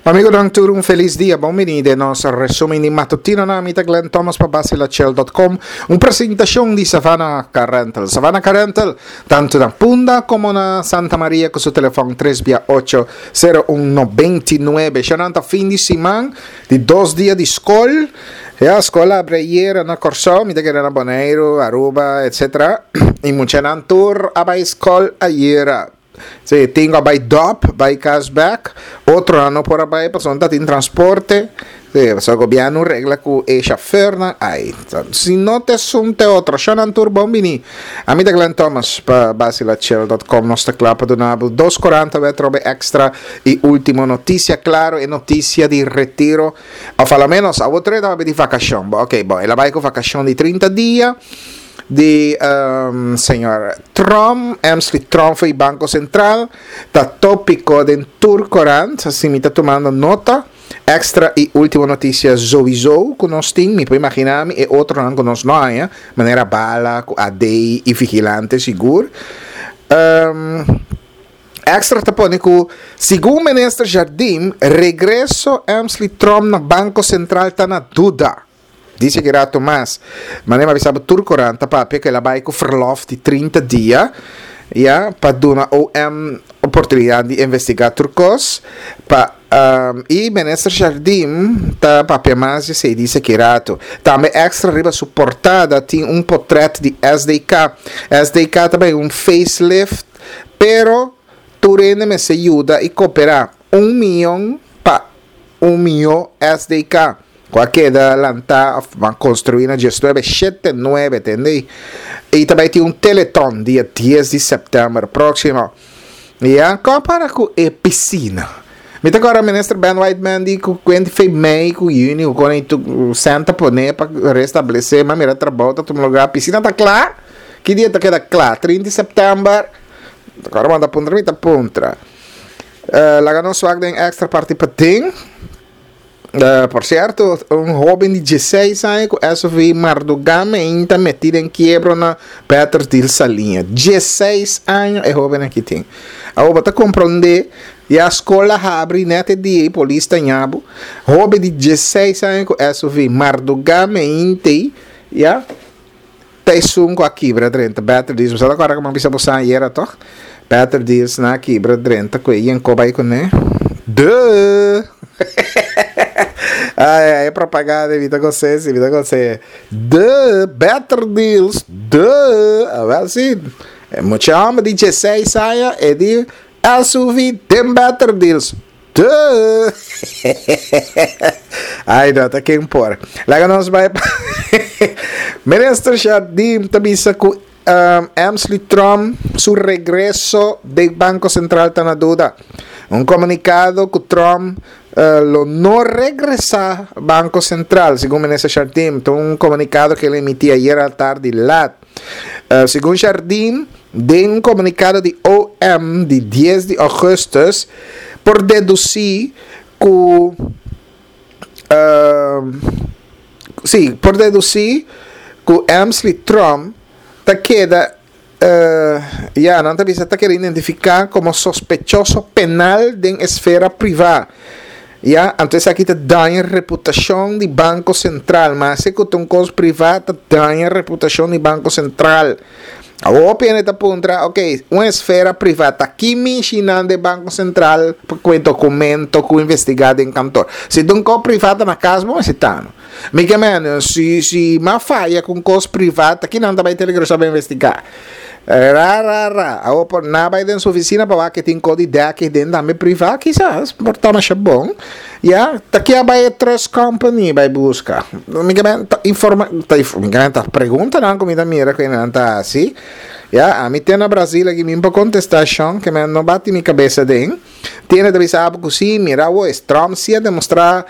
Amigonan tur un felis dia, bon bini den nos resumen di matutinonan. Mi ta Glenn Thomas pa Basilachel.com, un presentacion di Savannah Car Rental. Savannah Car Rental, tanto na Punda como na Santa Maria cu su telefon 3 bia 8 0199. Xanan ta fin di siman, di dos dia di scol. Ya, scol a abri ayera na Corsou, mi ta kere na Boneiru, Aruba, etc. Y muchanan tur a bay scol ayera. Sí, tin ku a bai dòp, bai kas bèk, otronan no por a bai pasobra no ta tin transporte. Sí, pasobra gobièrnu regla ku e shofèrnan ai. Si no ta esun ta e otro. Shònan tur bon bini. Ami ta Glenn Thomas pa basilachel dòt kòm. Nos ta kla pa duna bo dos korant awe atrobe èkstra i último notisia. Klaro e notisia di retiro òf aloménos awor tur e ta papia di vakashon. Bo okey, bon el a bai ku vakashon di trinta dia. Di señor Trump, Emsley Trump fo'i Banco Central, ta topico den tur corant, si mi ta tumando nota, extra y ultimo noticia zowizo cu nos tin, mi por imagina mi e otronan cu nos no haña, manera bala cu AD y vigilante sigur. Extra ta pone cu segun minister Jardim, regreso Emsley Trump na Banco Central ta na duda. Dice ki rato mas. Manera mi a bisa bo tur korant ta papia ku el a bai ku verlof di trinta dia ya pa duna OM oportunidat di investigá tur kos pa i minister Jardim ta papia mas di esei dice ki rato. Tambe extra riba su portada tin un potret di SDK. SDK ta bai un facelift pero tur hende mester yuda i koperá un miyon pa un mihó SDK ku a keda lantá òf a konstruí na diesnuebe shete nuebe tende i ta bai tin un teleton dia dies di sèptèmber próksimo. Ya, kon a para ku e pisina? Mi ta kòrda Minister Ben Whiteman di ku kuenti fe mei ku yüni ku kon ei tur sèn ta pone pa restablesé, m'a mira trabou ta tuma lugá, pisina ta kla? Ki dia ta keda kla? Trinta di sèptèmber? Ta kòrda bo ta puntra mi ta puntra. Laga nos wak den extra parti paden. Por cierto, un hoben di dieseis aña cu SUV mardugá meinta metí den kiebro na Petersdil Saliña. Dieseis aña e hoben aki tin. Awor bo ta comprende, ya scol a habri net e dia y polis ta ña bo. Hoben di dieseis aña cu SUV mardugá meinte, ya. Ta esun ku a kibra drenta Better Deals. Bo sa ta kòrda ku mi a bisa boso ayera tòg? Better Deals nan a kibra drenta ku e yenko bai kuné. Duh! Ai ai e propaganda mi ta gos'é si, mi ta gos'é. Duh! Better Deals! Duh! Awèl si, e mucha hòmber di dieseis aña e di SUV den Better Deals. Duh! Ai no, ta ken por. Laga nos bai pa Minister Jardim ta bisa ku um, Emsley Trump su regreso den Banco Central ta na duda. Un komunikado ku Trump uh, lo no regresa Banco Central, segun Minister Jardim. Ta un komunikado ku el emití ayer al tardi lat. Uh, segun Jardim, den un komunikado di OM di dies di ougùstùs, por dedusí ku uh, sí, por dedusí ku Emsley Trump ta keda uh, ya, nan ta bisa ta keda identifiká komo sospechoso penal den esfera privá. Ya, anto esaki ta daña reputashon di Banko Sentral. Maske ku ta un kos privá, ta daña reputashon di Banko Sentral. Awor hopi hende ta puntra, ok, un esfera privá ta ki mishi nan den Banko Sentral pa ku e dokumento ku investigá den kantor? Si ta un kos privá ta na kas bo mester ta no. Mi ke mende, si si m'a faya ku un kos privá ta ki nan ta bai tene ku resolve investigá? Ra ra ra. Awor por nan bai den su oficina pa wak ke tin kos di dek den tambe privá kisas por ta masha bon. Ya, ta ke a bai e trust company bai buska? Mi ke men ta informa ta mi ke men ta preguntanan ku mi ta mira ku nan ta hasi. Ya, ami te na Brasil aki mi por kontestá shon ke men no bati mi kabesa den. Tiene ta bisa abo ku si, mira awor es Trump si a demostrá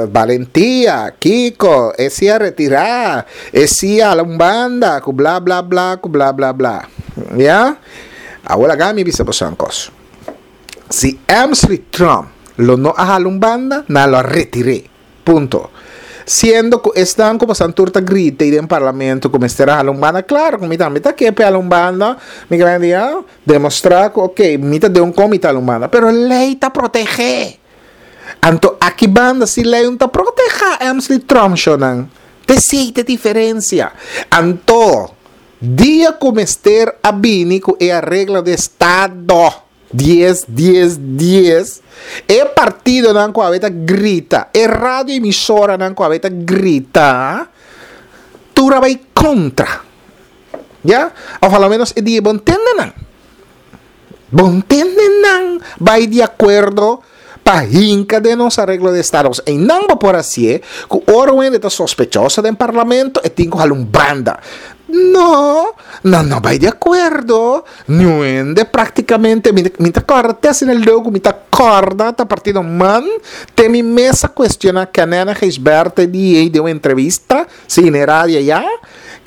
balentia, kiko, e si a retirá, e si a hala un banda, ku bla bla bla, ku bla bla bla. Ya? Awor laga mi bisa boso un kos. Si Emsley Trump lo no a hala un banda, nan lo a retir'é. Punto. Siendo ku esnan ku pasan tur ta grita ei den parlamento ku mester a hala un banda, klaro ku mi tambe ta ke p'e hala un banda, mi gran di a demostrá ku ok, mi ta den un kon mi ta hala un banda, pero lei ta protegé. Anto aki banda si lei un ta proteha Emsley Tromp shonan. T'esei t'e diferencia. Anto dia cu mester a bini cu e areglo di estado dies dies dies, e partidonan cu awe ta grita, e radio emisoranan cu awe ta grita, tur a bay contra. Ya? Of a lo menos e dia bon tende nan. Bon tende nan bai di akuerdo pa hinka den nos areglo di estado. Pasobra einan bo por hasié ku ora un hende ta sospechoso den parlamento e tin ku hala un banda. No, nan no bai di akuerdo. Niun hende praktikamente, mi mi ta kòrda te asina leu ku mi ta kòrda ta partido man te mi mes a kuestioná Kanène Gijsbertha di ei den un entrevista, si na e radio ayá.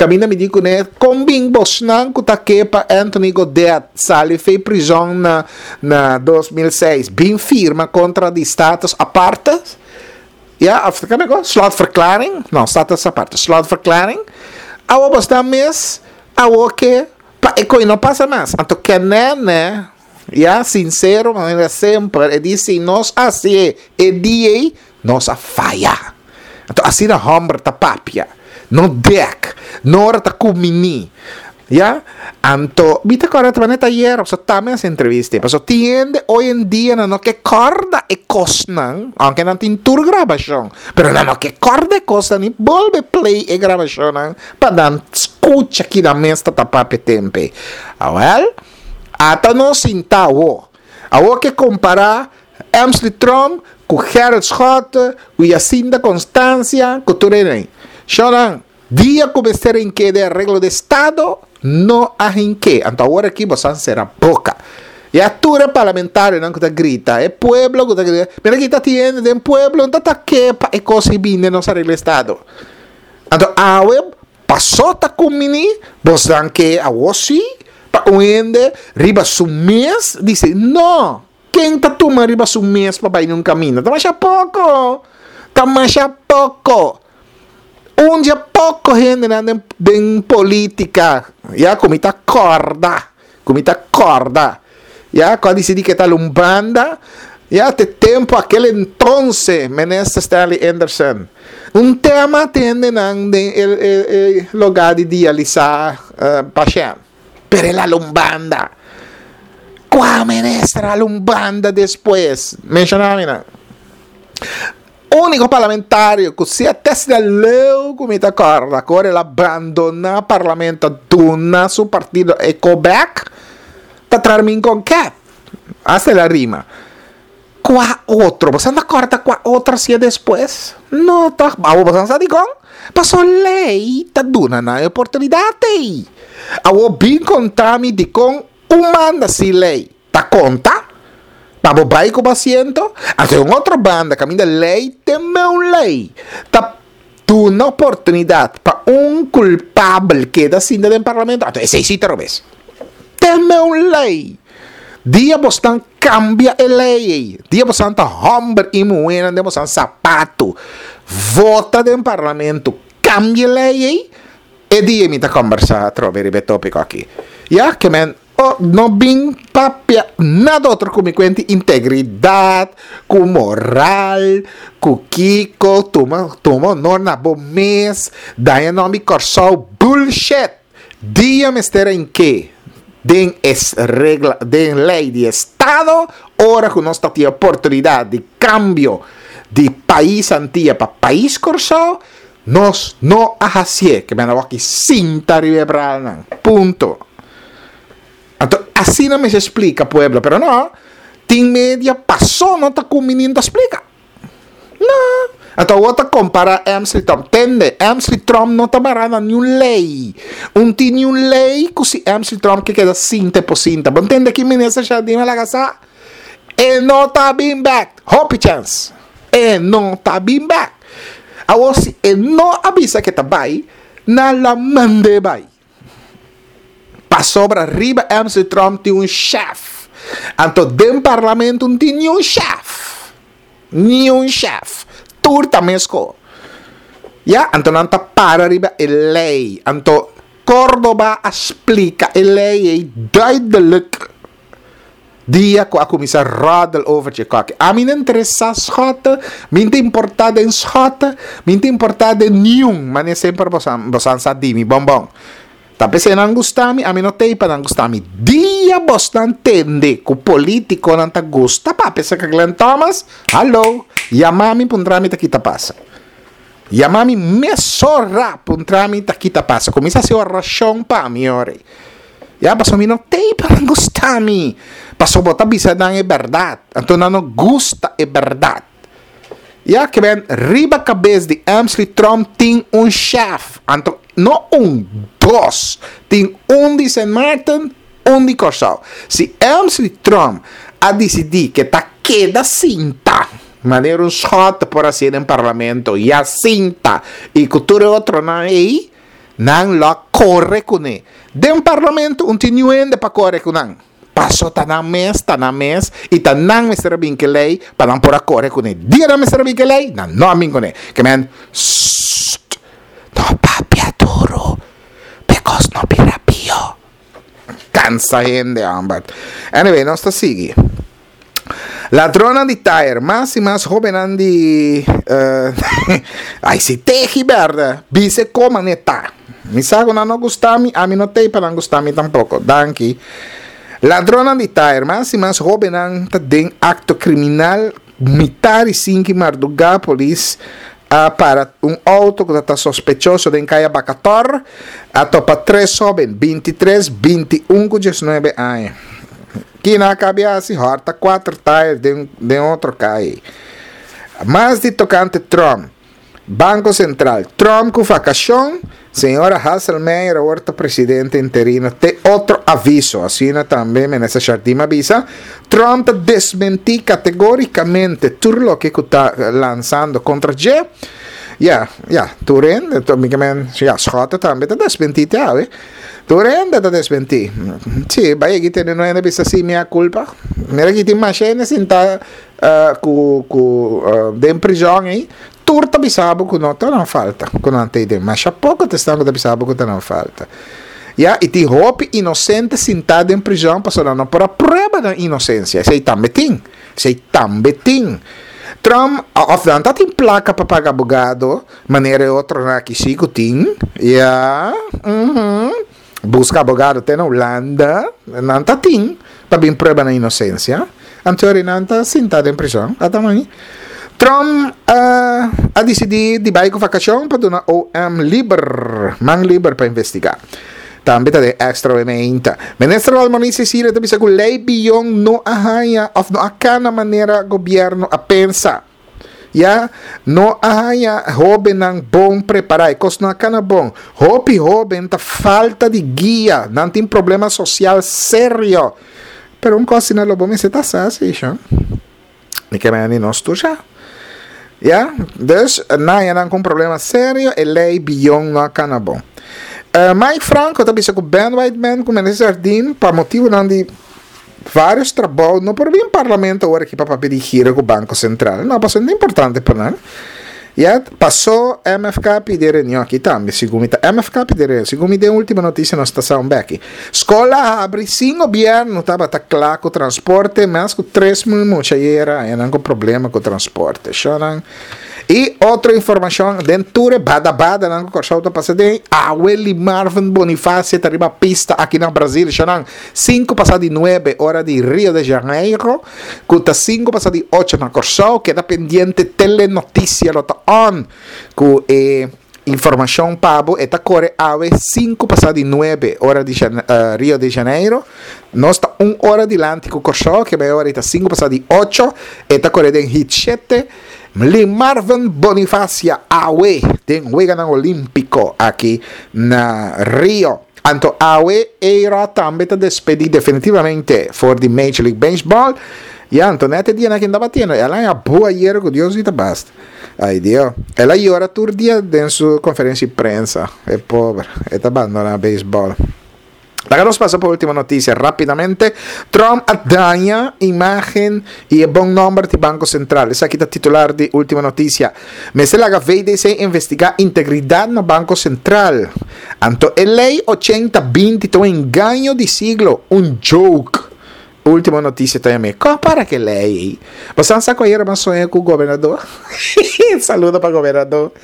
Kaminda mi di kuné, Kon bin bosnan ku ta ke pa Anthony Godett sali fei prizòn na na 2006 bin firma kontra di status aparte? Ya, of kende ko? Slotverklaring? No, status aparte, slotverklaring. Awo bosnan mes awo ke pa e koi no pasa mas. Anto kenene, ya, sinsero manera semper, e di si nos hasié e dia ei, Nos a faya. Anto asina homber ta papia. No dek. No ora ta kumini. Ya? Anto mi ta kòrda ta manera tayer pasobra tambe hasi entrevista ei. Pasobra tin hende hoy en dia nan no ke kòrda e kosnan, aunke nan tin tur grabashon, pero nan no ke kòrda e kosnan ni bolbe play e grabashonnan pa nan skucha ki nan mes ta ta papia tempu ei. Awèl, ata nos sinta awo. Awo ke kompará Emsley Tromp ku Gerrit Schotte ku Jacinda Constancia ku tur enen. Shownan, dia ku mester hink'é den areglo di estado, no a hink'é. Anto awor aki boso a sera boka. Ya tur e parlamentarionan ku ta grita, e pueblo ku ta grita, mira aki ta tin hende den pueblo no ta ta ke pa e kos ei bini den nos areglo di estado. Anto awe paso ta kumini, bosnan ke awor si pa un hende riba su mes disi no. Ken ta tuma riba su mes pa bai den un kaminda? Ta masha poko! Ta masha poko! Un dje poko hendenan den den politika, ya, ku mi ta kòrda, ku mi ta kòrda, ya, ku a disidí ke tal un banda, ya, te tempu akel entonse Minister Stanley Anderson. Un tema te hendenan den e e e lugá di dialisá pashènt. Pero el hala un banda. Kua minister hala un banda despues? Menshoná mi nan. Úniko parlamentario ku si a test de leu ku mi ta kòrda ku ora el a bandoná parlamento a duna su partido e ko bèk ta Trarmin Konket. Asta el a rima. Kua otro? Boso ta kòrda kua otro a siña despues? No tòg. Awor boso sa dikon? Pasobra lei ta duna nan e oportunidat ei. Awor bin konta mi dikon un manda sin lei ta konta pa bo bai ku bo asiento? Anto e un otro banda kaminda lei te meu lei ta duna oportunidat pa un kulpabel keda sinta den parlamento, anto esei si ta robes. Te meu lei. Dia bosnan kambia e lei ei, dia bosnan ta hòmber i muhénan den bosnan sapatu, vota den parlamento, kambia e lei ei, e dia mi ta kòmbersá atrobe riba e tópiko aki. Ya, ke men oh, no bin papia nada otro ku mi kuenti integridat, ku moral, ku kiko, tuma tuma honor na bo mes, daña nòmber di Kòrsou, bullshit! Dia mester a inke den es regla den ley di estado ora cu nos ta tin oportunidad di cambio di pais Antia pa pais Corsou nos no a hacié ke men a wak sinta riba e bralnan punto anto asina mester splica pueblo pero no tin media paso no ta cumbini no ta splica. No. Anto awor ta compara Emsley Trump. Tende, Emsley Trump no ta mará na niun ley. Un tin niun ley ku si Emsley Trump ke keda sinta e por sinta. Bo ntende ki minister Jardim a laga sa? E no ta bin bek. Hopi chèns. E no ta bin bek. Awor si e no a bisa ke ta bai, nan lo a mand'é bai. Pasobra riba Emsley Trump tin un chef. Anto den parlamento no tin niun chef. Niun chef. Tur ta mesko. Ya, anto nan ta para riba e ley. Anto Cordoba a splica e ley ei duidelijk. Dia ku a kuminsá ròdel over dje kòki. Ami no interesá Schotte, mi no ta importá den Schotte, mi no ta importá den niun, manera semper boso boso a sa di mi bon bon. Ta p'esei nan gusta mi, ami no t'ei pa nan gusta mi. Dia bosnan tende ku polítikonan ta gusta papia aserka Glenn Thomas, hallo, yama mi puntra mi ta ki ta pasa. Yama mi mesora puntra mi ta ki ta pasa. Kuminsá hasi orashon pa mi ora ei. Ya, pasobra mi no t'ei pa nan gusta mi. Pasobra bo ta bisa nan e bèrdat, anto nan no gusta e bèrdat. Ya, ke ben riba kabes di Emsley Tromp tin un shèf, anto no un, dos. Tin un di Sint Maarten, un di Kòrsou. Si Emsley Tromp a disidí ke ta keda sinta manera un schot por hasié den parlamento, ya sinta i ku tur e otronan ei, nan lo a kore kuné. Den parlamento un tin niun hende pa kore ku nan. Paso ta nan mes, ta nan mes i ta nan mester a bin ku e lei pa nan por a kore kuné. Dia nan mester a bin ku e lei, nan no a bin kuné. Ke men, Sst! No papia duru, p'e kos no bira pio. Kansa hende, hòmber. Anyway, nos ta sigui. Ladronnan di tayer, mas i mas hóbennan di Ai si tehi bèrdè, bisa e koma ne ta. Mi sa ku nan no gusta mi, ami no t'ei pa nan gusta mi tampoko. Danki. Ladronnan di tayer, mas i mas hóbennan ta den akto kriminal. Mitar i sinki mardugá polis a para un outo ku ta ta sospechoso den kaya Bakatòr. A topa tres hóben, bintitres, 21 ku diesnuebe aña. Kina a kabi hasi hòrta kuater tayer den den otro kai. Mas di tokante Trump. Banko Sentral, Trump ku vakashon, señora Hasselmeyer awor ta presidente interino te otro aviso, asina tambe Minister Jardim a bisa. Trump ta desmentí kategorikamente tur loke ku ta lansando kontra dje. Ya, ya, tur hende, mi ke men, ya, Schotte tambe ta desmentí te awe. Tur hende ta desmentí. Sí, bai aki tene no hende bisa sí mea culpa. Mira aki tin masha hende sintá ku ku den prizòn ei. Tur ta bisa bo ku no ta nan falta, ku nan ta ei den. Masha poko ta esnan ku ta bisa bo ku ta nan falta. Ya, i tin hopi inosente sintá den prizòn pasobra nan no por a prueba nan inosensia. Esei tambe tin. Esei tambe tin. Trump, òf nan ta tin plaka pa paga abogado. Manera e otronan aki si ku tin, ya, uhum, buska abogado te na Hulanda, nan ta tin pa bin prueba nan inosensia. Anto ori nan ta sinta den prison, ata mami. Trump a disidí di bai ku vakashon pa duna OM liber, man liber pa investigá. Tambe ta den extra we meinta. Minister Valmoni Cecilia ta bisa ku lei biyon no a haña òf no a kana manera gobièrnu a pensa. Ya, no a haña hóbennan bon prepará, e kos no a kana bon. Hopi hóben ta falta di guia, nan tin problema sosial serio. Pero un kos asina lo bo mester ta sa si, sho. Mi ke mende nos tur sha. Ya, dus nan haña nan ku un problema serio, e lei biyon no a kana bon. Mike Franco ta bisa ku Ben Whiteman ku Minister Jardim pa motibunan di Varios trabou no por bin parlamento awor aki pa papia di gira ku Banko Sentral. No, pasobra no ta importante pa nan. Ya pasó MFK pidi e reunion aki tambe, segun mi ta MFK pidi e reunion. Segun mi den ultimo notisia nos ta sa un beki. Skol a habri sin gobièrnu tabata kla ku transporte, mas ku 3000 mucha yera haña nan ku problema ku transporte. Shownan. I otro informashon den tur e bada badanan ku Kòrsou ta pasa den, awe Limarvin Bonifacio ta riba pista aki na Brazil. Shownan. Sinku pasá di nuebe ora di Rio de Janeiro, ku ta sinku pasá di ocho na Kòrsou. Keda pendiente, Telenotisia lo ta on ku e informashon pa bo. E ta kore awe sinku pasá di nuebe ora di Rio de Janeiro. Nos ta un ora dilanti ku Kòrsou, ke bai ora ei ta sinku pasá di ocho. E ta kore den hit shete. Lee Marvin Bonifacia awe den Weganan Olímpiko aki na Rio. Anto awe A-Rod tambe ta despedí definitivamente for di Major League Baseball. Ya, anto net e dianan kin tabata tiendo, el a haña bu ayer ku Dios di ta basta. Ay Dio. El a yora tur dia den su konferensia di prensa. E pober, e ta bandoná beisbòl. Laga nos pasa pa ultimo noticia rapidamente. Trump a daña imagen y e bon nomber di Banco Central. Esaki ta titular di ultimo noticia. Mester laga VDC investiga integridad na Banco Central. Anto e ley 80-20 ta un engaño di siglo, un joke. Ultimo noticia ta yam'é. Kon para ke lei ei? Bosan sa ku ayera bo a soña ku gobernador? Saludo pa gobernador.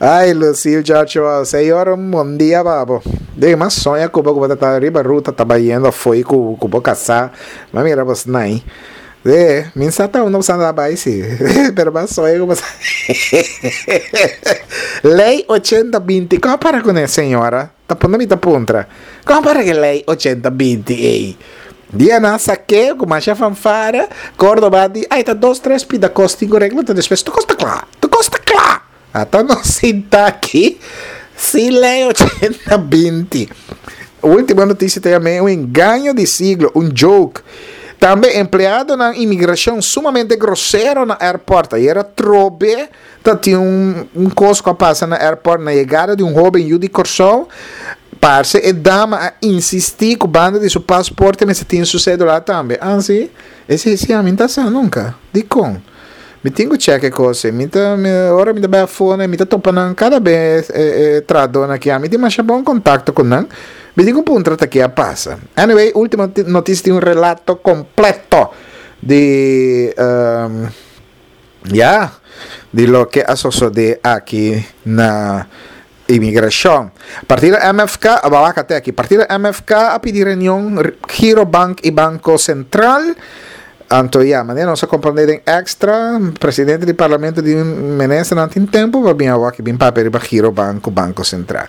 Ay, Lucille Joshua, señor, un bon dia pa bo. Debe mas soña ku bo ku bo ta ta riba ruta ta bayendo afo'i ku ku bo kasá. M'a mira bos nai. De, mi sa ta unda bosan ta bai si. Pero m'a soña ku bosan. Lei ochenta binti, kon para kuné, señora? Ta puntra mi ta puntra. Kon para ke lei ochenta binti ei? Dia nan sak'é ku masha fanfara, Córdoba di, Ai, ta dos tres pida kos tin ku regla, ta despues tur kos ta kla, tur kos ta kla. Ata nos sinta aki sin lei 80 binti. Ultimo notisia ta yam'é un engaño di siglo, un joke. Tambe empleadonan imigrashon sumamente grosero na airport. Ayer atrobe ta tin un un kos ku a pasa na airport na yegada di un hoben yu di Kòrsou. Parse e dama a insistí ku banda di su pasporte mester tin su sedula tambe. Ah si? Esei si ami no ta sa nunka. Dikon? Mi tin ku chèk e kos ei. Mi ta ora mi ta bai afó mi ta topa nan kada bes e e trahadónan aki. Ami tin masha bon kontakto ku nan. Mi tin ku puntra ta ke a pasa. Anyway, ultimo notisia tin un relato kompleto di Ya, di loke a sosodé aki na imigrashon. Partido MFK, a wak te aki, partido MFK a pidi reunion Girobank i Banko Sentral. Anto ya, manera nos a komprondé den Extra, presidente di parlamento di ministernan tin tempu pa bin awor aki bin papia riba Girobank ku Banko Sentral.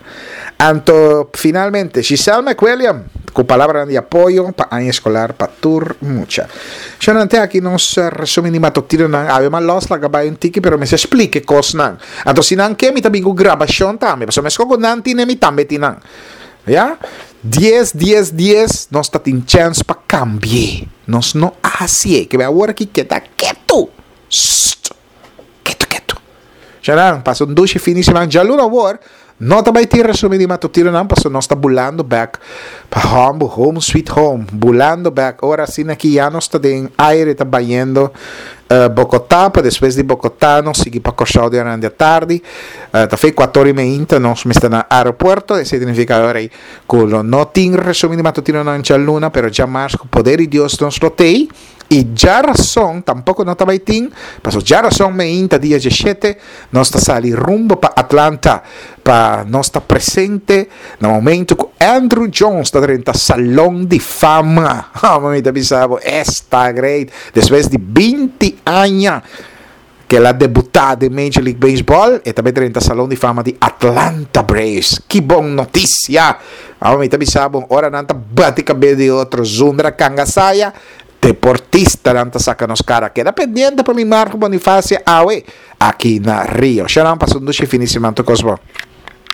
Anto finalmente Giselle McWilliam ku palabranan di apoyo pa aña eskolar pa tur mucha. Shonnan te aki nos resumen di matutinonan. Awe mas los laga bai un tiki pero mester splika e kosnan. Anto si nan ke mi ta bin ku grabashon tambe pasobra meskos ku nan tine mi tambe tin nan. Ya. Dies dies dies nos ta tin chèns pa kambi'é. Nos no a hasié. Ke bai awor aki keda ketu. Sst. Ketu ketu. Shanan, pasa un dushi fin di siman. Djaluna awor, no ta bai tin resumen di matutinonan pasobra nos ta bulando bek pa hòmbu, home sweet home. Bulando bek. Ora asina aki ya nos ta den aire ta bayendo Bogotá pa despues di Bogotá nos sigui pa Kòrsou di aran di atardi. Ta fe kuator i meinta nos mester na aeropuerto. Esei ta nifiká ora ei ku lo no tin resumen di matutinonan djaluna, pero djamars ku poder di Dios nos lo t'ei. I djarason tampoko no ta bai tin, paso djarason meinta dia djeshete nos ta sali rumbo pa Atlanta pa nos ta presente na momento ku Andruw Jones ta drenta Salon di Fama. Amo mi ta bisa bo, esta great! Despues di binti aña ku el a debutá den Major League Baseball, e ta bai drenta Salon di Fama di Atlanta Braves. Ki bon notisia! Amo mi ta bisa bo, ora nan ta bati kabes di otro zundra kangasaya, deportistanan ta saka nos kara. Keda pendiente pa mi Marco Bonifacia awe aki na Rio. Shanan pasa un dushi fin di siman tur kos bon.